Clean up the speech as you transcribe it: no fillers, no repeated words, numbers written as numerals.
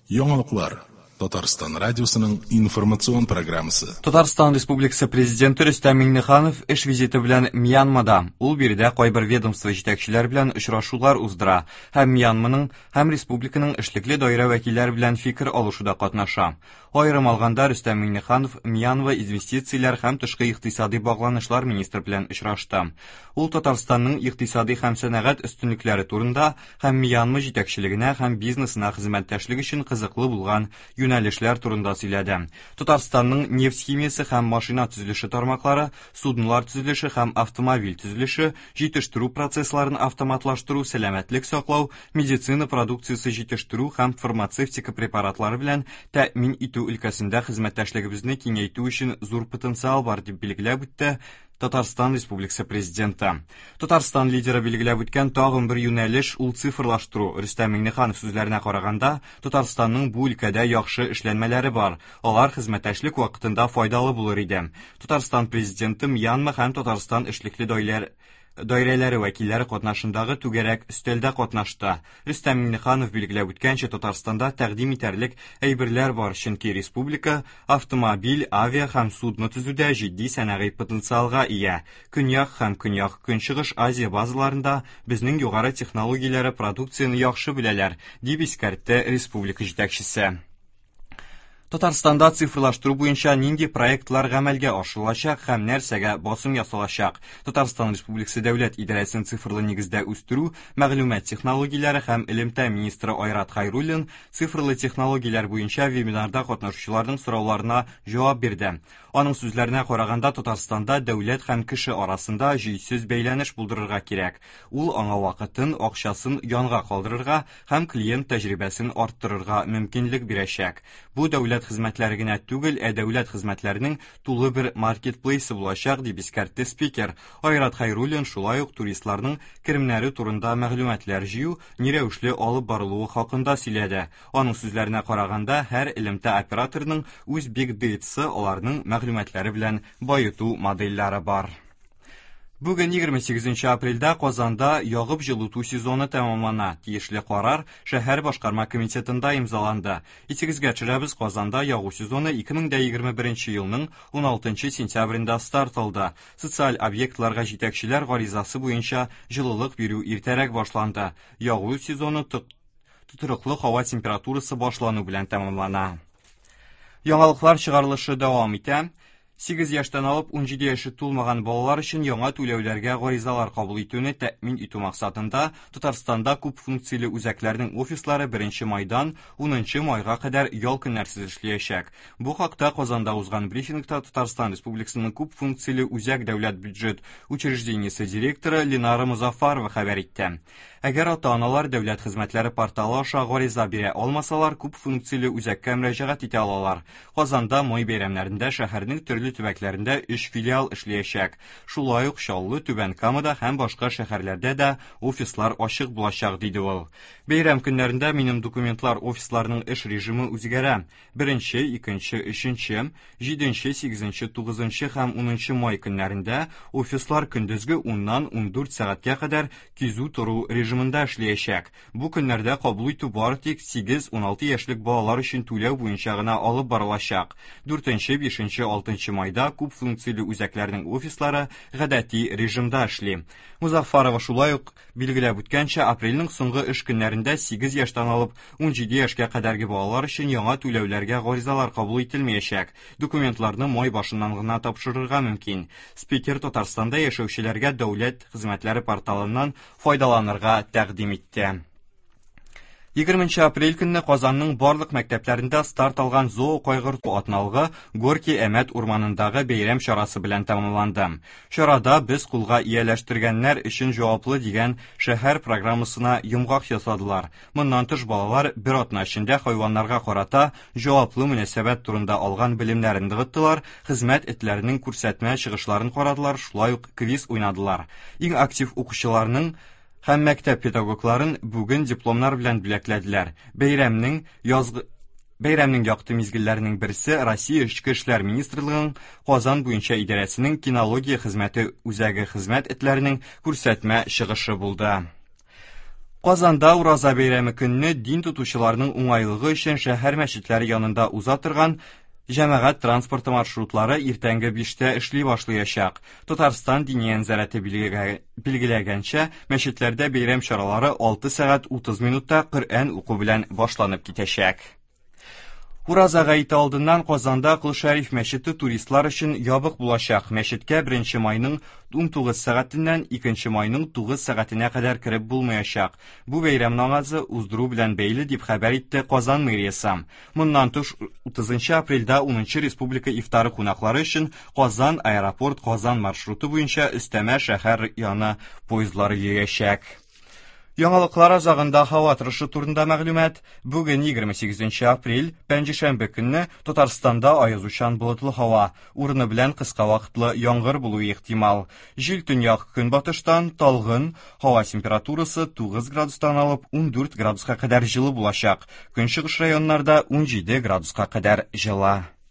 Яңалыклар. Татарстан радиосының информацион программасы. Татарстан Республикасы Президенты Рөстәм Миңнеханов эш визиты белән Мьянмада. Ул биредә кайбер ведомство җитәкчеләре белән очрашулар уздыра һәм Мьянманың һәм республиканың эшлекле даирә вәкилләре белән фикер алышуда катнаша. Аерым алганда, Рөстәм Миңнеханов Мьянма инвестицияләр һәм тышкы икътисади багланышлар министры белән очрашты. Ул Татарстанның икътисади һәм сәнәгать өстенлекләре турында һәм Мьянма җитәкчелегенә һәм бизнесына хезмәттәшлек өчен кызыклы булган юнәлешләр турында сөйләде. Татарстанның нефть химиясе һәм машина төзелеше тармаклары, суднолар төзелеше һәм автомобиль төзелеше, җитештерү процессларын автоматлаштыру, сәламәтлек саклау, медицина продукциясе җитештерү һәм фармацевтика препаратлары белән тәэмин итү өлкәсендә хезмәттәшлегебезне киңәйтү өчен зур потенциал бар, дип билгеләп үтте Татарстан Республикасы Президенты. Татарстан лидеры билгеләп үткән тагын бер юнәлеш ул цифрлаштыру. Рөстәм Миңнеханов сүзләренә караганда, Татарстанның бу өлкәдә яхшы эшләнмәләре бар. Алар хезмәттәшлек вакытында файдалы булыр иде. Татарстан Президенты Мьянма һәм Татарстан эшлекле даиләр даирәләре вәкилләре катнашындагы түгәрәк өстәлдә катнашты. Рөстәм Миңнеханов билгеләп үткәнчә, Татарстанда тәкъдим итәрлек әйберләр бар, чөнки республика автомобиль, авиа һәм судно төзүдә җитди сәнәгый потенциалга ия. Көньяк һәм Көньяк-Көнчыгыш Азия базаларында безнең югары технологияләре продукцияне яхшы беләләр, дип искәртте республика җитәкчесе. Татарстанда цифрлаштыру буенча нинди проектлар гамәлгә ашырылачак һәм нәрсәгә басым ясалачак? Татарстан Республикасы Дәүләт идарәсен цифрлы нигездә үстерү, мәгълүмат технологияләре һәм элемтә министры Айрат Хайруллин цифрлы технологияләр буенча вебинарда катнашучыларның сорауларына җавап бирде. Аның сүзләренә караганда, Татарстанда дәүләт һәм кеше арасында җөйсез бәйләнеш булдырырга кирәк. Ул аңа вакытын, акчасын янга калдырырга һәм клиент тәҗрибәсен арттырырга мөмкинлек бирәчәк. Бу дәүләт хезмәтләре генә түгел, ә дәүләт хезмәтләренең тулы бер маркетплейсы булачак, дип искәртте спикер. Айрат Хайруллин шулай ук туристларның керемнәре турында мәгълүматлар җыю ни рәвешле алып барылуы хакында сөйләде. Аның сүзләренә караганда, һәр элемтә операторының үз big data-сы, аларның мәгълүматлары белән баету модельләре бар. Бүген 28 апрельдә Казанда ягып җылыту сезоны тәмамлана. Тиешле карар шәһәр башкарма комитетында имзаланды. Исегезгә төшерәбез, Казанда ягу сезоны 2021 елның 16 сентябрендә старт алды. Социаль объектларга җитәкчеләр гаризасы буенча җылылык бирү иртәрәк башланды. Ягу сезоны тотрыклы һава температурасы башлану белән тәмамлана. Яңалыклар чыгарылышы дәвам итә. 8 яшьтән алып 17 яше тулмаган балалар өчен яңа түләүләргә гаризалар кабул итүне тәэмин итү максатында Татарстанда күп функцияле үзәкләрнең офислары 1 майдан 10 майга кадәр ял көннәрсез эшләячәк. Бу хакта Казанда узган брифингта Татарстан Республикасының күп функцияле үзәк дәүләт бюджет учреждениесе директоры Ленара Музафарова хәбәр итте. Әгәр ата-аналар дәүләт хезмәтләре порталы аша гариза бирә алмасалар, күп функцияле үзәккә мөрәҗәгать итә алалар. Казанда май бәйрәмнәрендә шәһәрнең төрле төбәкләрендә 3 филиал эшләячәк. Шулай ук Чаллы, Түбән Камада һәм башка шәһәрләрдә дә офислар ачык булачак, диде ул. Бәйрәм көннәрендә минем документлар офисларының эш режимы үзгәрә. 1, 2, 3, 7, 8, 9 һәм 10 май көннәрендә офислар көндезге 10-нан 14 сәгатькә кадәр кизү тору режимында эшләячәк. Бу көннәрдә кабул итү бары тик 8-16 яшьлек балалар өчен түләү буенча гына алып барылачак. 4, 5, 6 майда күп функцияле үзәкләрнең офислары гадәти режимда эшли. Музафарова шулай ук билгеләп үткәнчә, апрельнең соңгы эш көннәрендә 8 яшьтән алып 17 яшькә кадәрге балалар өчен яңа түләүләргә гаризалар кабул ителмәячәк. Документларны май башыннан гына тапшырырга мөмкин. Спикер Татарстанда яшәүчеләргә дәүләт хезмәтләре порталыннан файдаланырга тәкъдим итте. 20 апрель көнне Казанның барлык мәктәпләрендә старт алган зоо кайгырту атналыгы Горки Әмәт урманындагы бәйрәм чарасы белән тәмамланды. Чарада без кулга ияләштергәннәр өчен җаваплы дигән шәһәр программасына йомгак ясадылар. Моннан тыш балалар бер атна эчендә хайваннарга карата җаваплы мөнәсәбәт турында алган белемнәрен ныгыттылар, хезмәт этләренең күрсәтмә чыгышларын карадылар, шулай ук квиз уйнадылар. Иң актив укучыларның һәм мәктәп педагогларын бүген дипломнар белән бүләкләделәр. Бәйрәмнең язгы Бәйрәмнең якты мизгелләренең берсе Россия Эчке эшләр министрлыгының Казан буенча идарәсенең кинология хезмәте үзәге хезмәт этләренең күрсәтмә чыгышы булды. Казанда Ураза бәйрәме көнне дин тотучыларның уңайлыгы өчен шәһәр мәчетләре янында уза торган җәмәгать транспорты маршрутлары иртәнге 5тә эшли башлаячак. Татарстан Диния нәзарәте билгеләгәнчә, мәчетләрдә бәйрәм чаралары 6 сәгать 30 минутта Коръән уку белән башланып китәчәк. Ураза гаете алдыннан Казанда Кол Шәриф мәчете туристлар өчен ябык булачак. Мәчеткә 1 майның 19 сәгатеннән 2 майның 9 сәгатенә кадәр кереп булмаячак. Бу бәйрәм намазы уздыру белән бәйле, дип хәбәр итте Казан мэриясе. Моннан тыш, 30 апрельдә 10 республика ифтары кунаклары өчен Казан аэропорт Казан маршруты буенча өстәмә шәһәр яны поездлары йөрәчәк. Яңалыклар азагында һава торышы турында мәгълүмат. Бүген 28 апрель, пәнҗешәмбе көнне Татарстанда аязучан болытлы һава, урыны белән кыска вакытлы яңгыр булуы ихтимал. Җил төньяк көнбатыштан талгын, һава температурасы 9 градустан алып 14 градуска кадәр җылы булачак. Көнчыгыш районнарда 17 градуска кадәр җылы.